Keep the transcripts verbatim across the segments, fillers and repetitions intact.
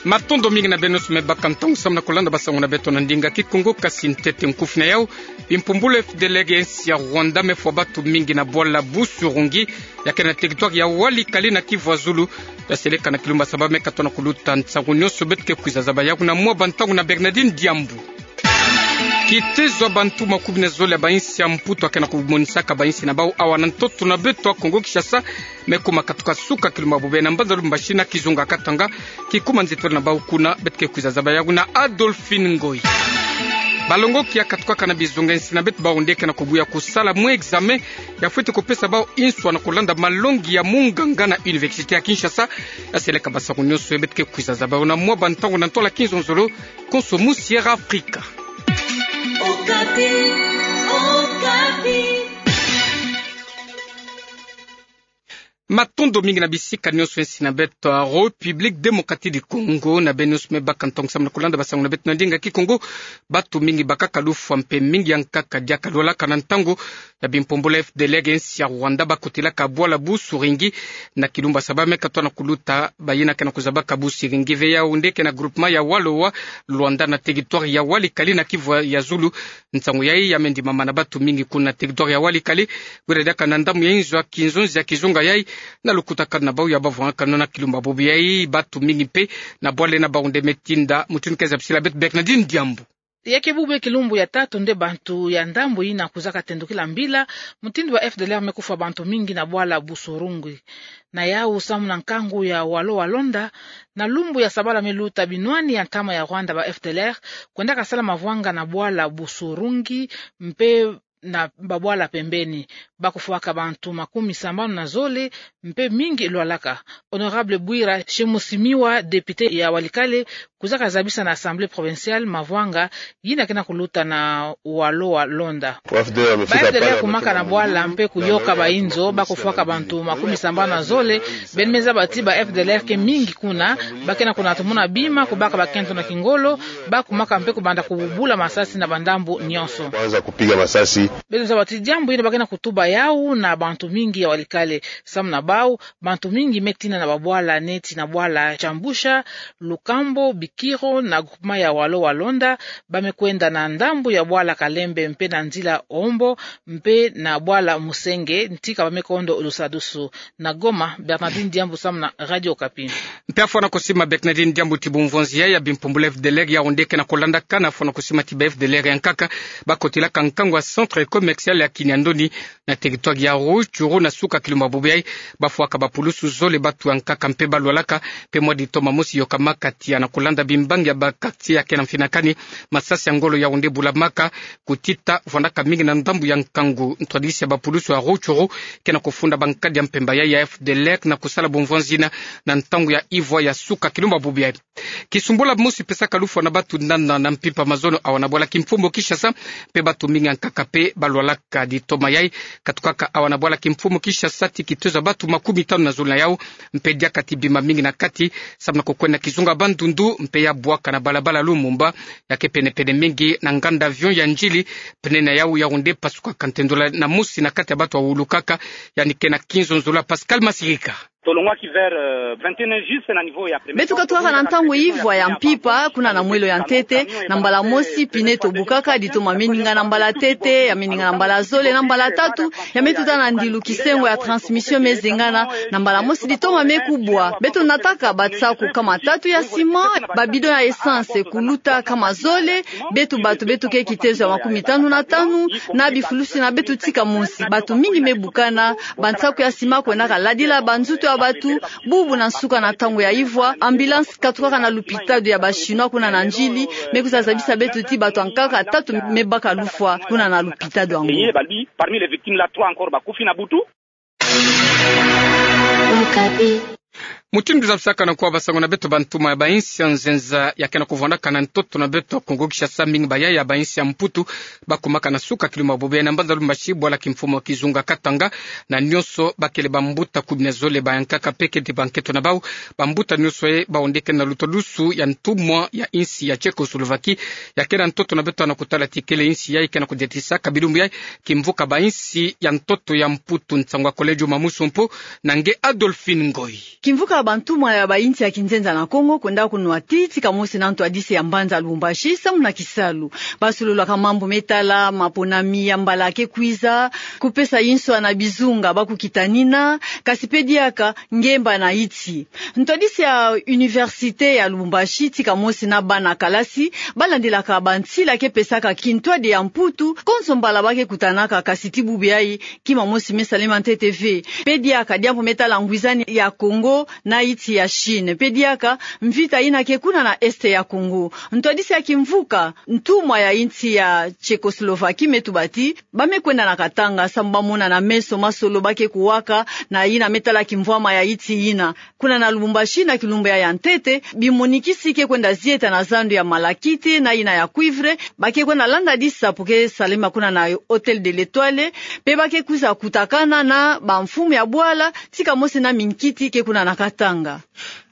Matondo mingi na beno nyonso me baka ntangu samu na kulanda basangu na beto na ndinga Kikongo. Kasi ntete nkufi na yau: bimpumbulu ya F D L R ya insi ya Rwanda mefwa batu mingi na bwala Busurungi, ya kele na territoire ya Walikale na Kivu ya Zulu. Ya seleka na kilumbu ya saba mekatona kuluta. Nsangu nyonso beto ke kwiza zaba yawu na mwa bantangu na Bernardine Diambu. Kitezo ya bantu makumi na zole ya bainsi ya Mputu ya kele na kumonisaka bainsi na bau awa na ntoto na beto ya Kongo Kinshasa mekuma katuka suka kilumbu ya bobo yayi na mbanza Lubumbashi na kizunga Katanga. Kikuma nzitolo na bau kuna, beto ke kwiza zaba yawu na Adolphine Ngoyi. Balongoki ya katukaka na bizunga ya insi na beto, bau nde ke na kubuya kusala mwa examen ya fweti kupesa bau inswa na kulanda malongi ya munganga na Université ya Kinshasa. Ya seleka basangu nyonso yayi beto ke kwiza zaba yawu na mwa bantangu na ntwala kinzonzolo. Konso mu Sierra Africa. Okapi, Okapi. Matondo mingi na bisika nyonso ya insi na beto. République Démocratique du Congo, na beno nyonso me baka ntangu samu na kulanda basangu na beto na ndinga Kikongo. Batu mingi bakaka lufwa mpe mingi ya nkaka diaka lwalaka na ntangu ya bimpumbulu ya F D L R ya insi ya Rwanda bakotelaka bwala Busurungi na kilumbu ya saba mekatona kuluta. Bayina ke na kuzabaka Busurungi ve, yawu nde ke na groupement ya Walo wa Luanda na territoire ya Walikale na Kivu ya Zulu. Nsangu yayi ya me ndimama na batu mingi kuna na territoire ya Walikale, wira diaka na ndambu ya inzo ya kinzonzi ya kizunga yayi, na lukutakanu na bau ya bavwangakano na kilumbu ya bobo yayi. Batu mingi mpe na bwala ina bau nde me tinda. Mutindu ke zabisila beto Bernardine Diambu. Ya ke bubu kilumbu ya tatu nde bantu ya ndambu yina kwizaka tendukila mbila, mutindu ba F D L R me kufwa bantu mingi na bwala Busurungi. Na yawu samu na nkangu ya Walo wa Luanda, na lumbu ya sabala me luta, binwani ya ntama ya Rwanda, ba F D L R kwendaka sala mavwanga na bwala Busurungi mpe na babwala pembeni. Bakufwaka bantu makumi sambanu na zole, mpe mingi lwalaka. Honorable Bwira Shemusimiwa, député ya Walikale, kwizaka zabisa na Assemblée provinciale mavwanga yina ke na kuluta na Walo wa Luanda. Ba F D L R kumaka na bwala mpe kuyoka bainzo, bakufwaka bantu makumi sambanu na zole. Beno me zaba ti ba F D L R ke mingi kuna, ba ke na kunatumuna bima, kubaka bakento na kingolo, bakumaka mpe kubanda kububula masasi na bandambu nyonso. Kwanza kupiga masasi. Beno zaba ti diambu yina ba ke na kutuba yawu na bantu mingi ya Walikale. Samu na bau, bantu mingi me tina na babwala neti na bwala Kyambusha, Lukambo, Bikiro na groupement ya Walo wa Luanda, ba me kwenda na ndambu ya bwala Kalembe mpe na nzila Ombo mpe na bwala Musenge, ntika ba me kondo lusadusu. Na Goma, Bernardine Diambu samu na Radio Okapi. Mpe afwana kusima Bernardine Diambu ti bumvonzi yayi ya bimpumbulu ya F D L R, yawu nde ke na kulandakana. Afwana kusima ti ba F D L R ya nkaka bakotelaka nkangu ya centre commercial ya Kiniandoni na territoire ya Rutshuru na suka kilumbu ya bobo yayi. Bafwaka bapulusu zole, batu ya nkaka mpe balwalaka, mpe mwa ditoma mosi yokamaka tiya na kulanda bimbangi ya ba quartier ya ke na mfinakani. Masasi ya ngolo yawu nde bulamaka, kutita vwandaka mingi na ndambu ya nkangu. Ntwadisi ya bapulusu ya Rutshuru ke na kufunda bankadi ya mpemba yayi ya F D L R na kusala bumvonzi yina na ntangu ya ivwa ya suka kilumbu ya bobo yayi. Kisumbula mosi pesaka lufwa na batu nana na mpimpa mazono awa na bwala kimfumu Kinshasa, mpe batu mingi ya nkaka mpe balwalaka. Ditoma yayi katukaka awa na bwala kimfumu Kinshasa ti kitezo ya batu makumi tanu na zole na yawu, mpe diaka ti bima mingi na kati, samu na kukwenda kizunga Bandundu, mpe ya bwaka na balabala Lumumba, ya ke penepene mingi na nganda avion ya Ndjili. Pneu na yawu, yawu nde pasukaka ntendula na mosi na kati ya batu awulukaka, yandi ke na kinzonzolo. Pascal Masirika. Tolongwaki vers, euh, vingt et un juste na niveau ya première. Beto katukaka na ntangu ivwa ya mpimpa, kuna na mwelo ya ntete, na mbala mosi pneu etobukaka, ditoma me ningana mbala ntete, ya me ningana mbala zole, na mbala tatu, ya me tuta na ndilu kisengo ya transmission me zengana, na mbala mosi ditoma me kubwa. Beto nataka bansaku kama tatu ya ciment, ba bidon ya essence kuluta kama zole, beto batu beto ke kitezo ya makumi tanu na tanu, na bifulusi na beto tika mosi. Batu mingi me bukana, bansaku ya ciment kwendaka ladila banzutu ya batu. Bubu na nsuka na ntangu ya ivwa, ambulance katukaka na lupitalu ya ba Chinois kuna na Ndjili, me kwiza zabisa beto ti batu ya nkaka tatu me baka lufwa kuna na lupitalu yango. Parmi les victimes là, trois encore bakufi na butu. Mutindu zabisaka na nkuwa basangu na beto, bantuma ya bainsi ya nzenza ya ke na kuvwandaka na ntoto na beto Kongo Kinshasa, mingi bayaya bainsi ya Mputu, bakumaka na suka kilumbu ya bobo yayi na mbanza Lubumbashi, bwala kimfumu kizunga Katanga, na nyonso bakele bambuta kumi na zole ba ya nkaka mpe keti bankento na bau. Bambuta nyonso yayi bau nde ke na luta lusu ya ntumwa ya insi ya Tchécoslovaquie, ya ke na ntoto na beto na kutala ti kele insi yayi ke na kudiatisaka bilumbu yayi kimvuka bainsi ya ntoto ya Mputu. Nsangu ya Collège Mamusu Mpu na nge Adolphine Ngoyi. Kimvuka Bantumwa ya bainsi ya kinzenza na Kongo kwenda kunwa ti tika mosi na ntwadisi ya mbanza Lubumbashi samu na kisalu. Basololaka mambu me tala maponami ya mbala ke kwiza, kupesa inswa na bizunga ba kukitanina, kasi pe diaka ngemba na insi. Ntwadisi ya Université ya Lubumbashi tika mosi na bana kalasi balandilaka bansila ke pesaka kintwadi ya Mputu, konso mbala ba ke kutanaka, kasi ti bubu yayi kima mosi me salema ntete ve. Pe diaka diambu me tala ngwizani ya Kongo na insi ya Chine. Pe diaka mvita yina ke kuna na Est ya Kongo. Ntwadisi ya kimvuka, ntumwa ya insi ya Tchécoslovaquie me tuba ti ba me kwenda na katanga samu ba mona na meso masolo ba ke kuwaka na yina me tala kimvwama ya insi yina. Kuna na Lubumbashi na kilumbu ya ya ntete, bimonikisi ke kwenda zieta na zandu ya malachite na yina ya cuivre, ba ke kwenda landa disapo ke salema kuna na Hôtel de l'Étoile, pe ba ke kwiza kutakana na bamfumu ya bwala, tika mosi na minkiti ke kuna na katanga.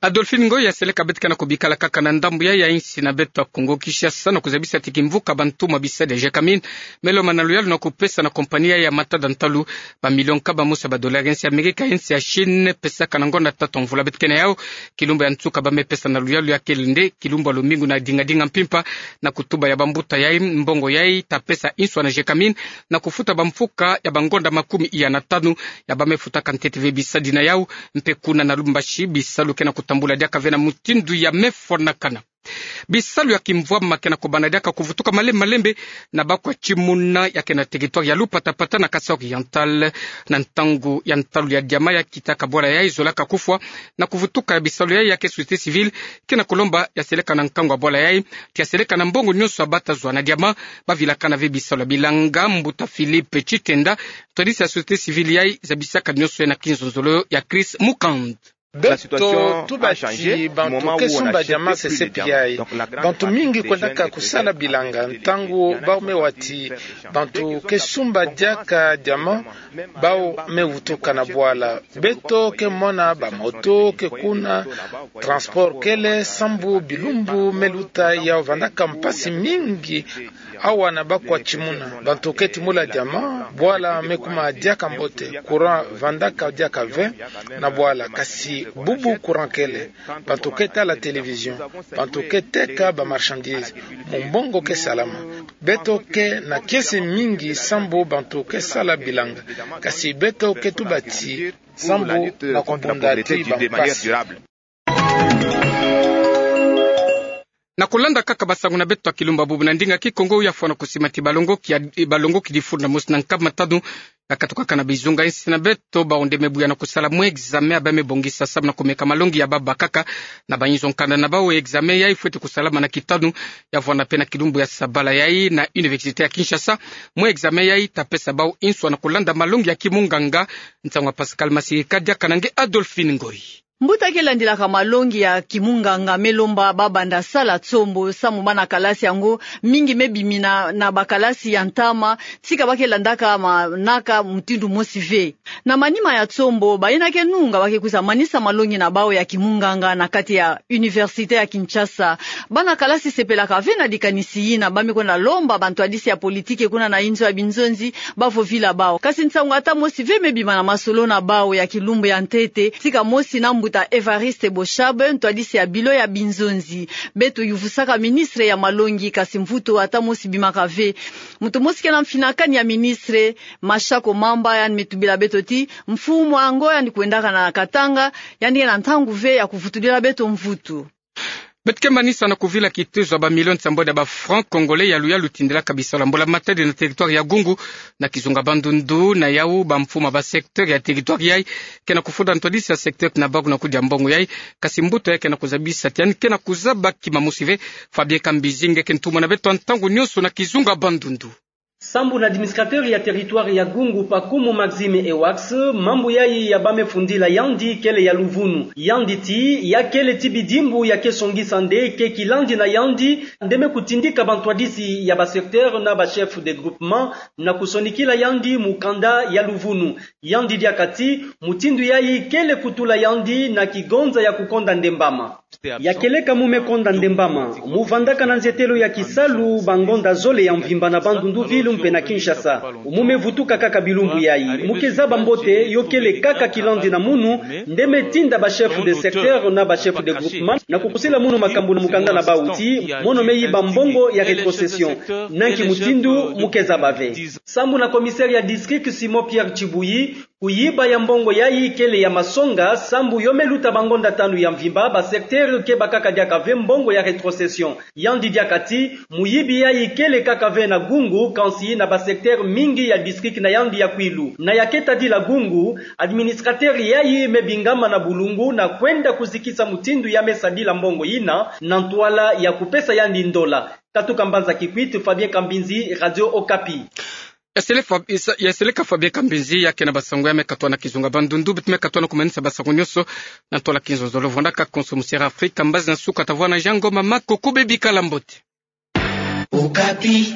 Adolphine Ngoy, ya seleka beto ke na kubikala kaka na ndambu ya ya insi na beto ya Kongo Kinshasa, na kuzabisa ti kimvuka bantumwa bisadi ya Gécamines me lomba na luyalu na kupesa na kompani ya matada ntalu bamilio nkaba mosi ya badolari ya insi ya Amerika, insi ya Chine pesaka na ngonda tatu ya mvula. Beto ke na yau, kilumbu ya nsuka ba me pesa na luyalu ya kele nde kilumbu ya lomingu na dingadinga mpimpa, na kutuba ya bambuta yayi, mbongo yayi ta pesa inswa na Gécamines na kufuta bamfuka ya bangonda makumi iya na tanu ya ba me futaka ntete ve bisadi na yau. Mpe kuna na Lubumbashi, bisalu ke na kutambula diaka ve na mutindu ya me fwanakana. Bisalu ya kimvwama ke na kubanda diaka kuvutuka malembe malembe na Bakwa Timuna, ya ke na territoire ya Lupatapata na Kasaï Oriental. Na ntangu ya ntalu ya diama ya kitaka bwala yayi zolaka kufwa, na kuvutuka ya bisalu yayi ya ke société civile ke na kulomba ya seleka na nkangu ya bwala yayi, ti ya seleka na mbongo nyonso ya ba ta zwa na diama. Ba vilakana ve bisalu ya bilanga, mbuta Philippe Tshitenda, ntwadisi ya société civile yayi, zabisaka nyonso yayi na kinzonzolo ya Chris Mukand. Beto tuba ti bantu ke sumba diama sesepi yayi. Bantu mingi kwendaka kusala bilanga ntangu ba me wa ti bantu ke sumba diaka diama, ba me vutuka na bwala. Beto ke mona bamoto ke kuna, transport kele, sambu bilumbu me luta, ya vandaka mpasi mingi. Awa na Bakwa Timuna, bantu ke timula diama, bwala me kuma diaka mbote, courant vandaka diaka ve na bwala, kasi bubu courant kele, bantu ke tala télévision, bantu ke teka ba marchandise, mu mbongo ke salama. Beto ke na kiese mingi sambu bantu ke sala bilanga, kasi beto ke tuba ti sambu na kubunda ti bampasi. Na kulanda kaka basangu na beto ya kilumbu ya bubu na ndinga Kikongo, ya fwana kusima ti balongoki ya, balongoki difulu na mosi na nkama tanu ya katukaka na bizunga insi na beto, bawu nde me buya na kusala mwa examen ya ba me bongisa samu na kumeka malongi ya ba bakaka na bayinzo nkanda na bawu. Examen yayi fweti kusalama na kitanu ya vwanda mpe na kilumbu ya sabala yayi na Université ya Kinshasa. Mwa examen yayi ta pesa bawu inswa na kulanda malongi ya kimunganga. Nsangu ya Pascal Masirika, diaka na nge Adolphine Ngoyi. Mbuta ke landilaka malongi ya kimunganga me lomba ba banda sala tsombo, samu bana kalasi yango mingi me bimina na bakalasi ya ntama, tika ba ke landaka manaka mutindu mosi ve. Na manima ya tsombo, bayina ke nunga ba ke kwiza manisa malongi na bawu ya kimunganga na kati ya Université ya Kinshasa. Bana kalasi sepelaka ve na dikanisi yina, ba me kwenda lomba bantwadisi ya politiki kuna na inzo ya binzonzi ba vovila bawu. Kasi nsangu ata mosi ve me bima na masolo na bawu ya kilumbu ya ntete, tika mosi na mbuta Évariste Boshab, ntwadisi ya bilo ya binzonzi. Beto yuvusaka ministre ya malongi, kasi mvutu ata mosi bimaka ve. Muntu mosi ke na mfinakani ya ministre, Mashako Mamba, yandi me tubila beto ti mfumu yango yandi kwendaka na Katanga, yandi ke na ntangu ve ya kuvutulila beto mvutu. Beto ke manisa na kuvila kitezo ya bamilio nsambwadi ya ba francs congolais ya luyalu tindilaka bisalu ya mbula matadi na territoire ya Gungu na kizunga Bandundu. Na yawu, bamfumu ya ba secteur ya territoire yayi ke na kufunda ntwadisi ya secteur na bawu na kudia mbongo yayi. Kasi mbuta yayi ke na kuzabisa ti yandi ke na kuzaba kima mosi ve. Fabien Kambizi, nge ke ntumwa na beto ya ntangu nyonso na kizunga Bandundu. Sambu na administrateur ya territoire ya Gungu, Pakumu Maxime Ewax, mambu yayi ya ba me fundila yandi kele ya luvunu. Yandi ti ya kele ti bidimbu ya ke songisa nde ke kilandi na yandi nde me kutindika bantwadisi ya ba secteur na ba chef de groupement na kusonikila yandi mukanda ya luvunu. Yandi diaka ti mutindu yayi kele kutula yandi na kigonza ya kukonda ndembama. Ya keleka mu me konda ndembama, mu vandaka na nzetelo ya kisalu bangonda zole ya mvimba na Bandundu ville. mpe na Kinshasa. Omu me vutuka kaka bilumbu yayi. Mu keza bambote, yo kele kaka kilandi na munu, nde me tinda ba chef de secteur na ba chef de groupement na kukusila munu makambu na mukanda na bawu ti mono me yiba mbongo ya rétrocession. Na nki mutindu mu keza bave? Sambu na commissaire ya district Simon Pierre Tshibuyi, kuyiba ya mbongo yayi kele ya masonga, sambu yo me luta bangonda tanu ya mvimba, ba secteur ke baka kaka diaka ve mbongo ya rétrocession. Yandi diaka ti, muyibi yayi kele kaka ve na Gungu, kansi na ba secteur mingi ya district na yandi ya Kwilu. Na ya ke tadila Gungu, administrateur yayi me bingama na bulungu na kwenda kuzikisa mutindu ya me sadila mbongo yina, na ntwala ya kupesa yandi ndola. Katuka mbanza Kikwit, Fabien Kambinzi, Radio Okapi. Ya seleka Fa-, isa-, ya seleka Fabien Kambinzi, ya ke na ba sango ya me katoa na kizunga Bandundu, beto me katoa na kumanisa ba sango nyonso na ntwala kizonzolo. Vwandaka konso mu Sierra Afrika, mbazi na nsuka tavwanda na Jean Ngoma Makoko, bebi kala mbote. Okapi.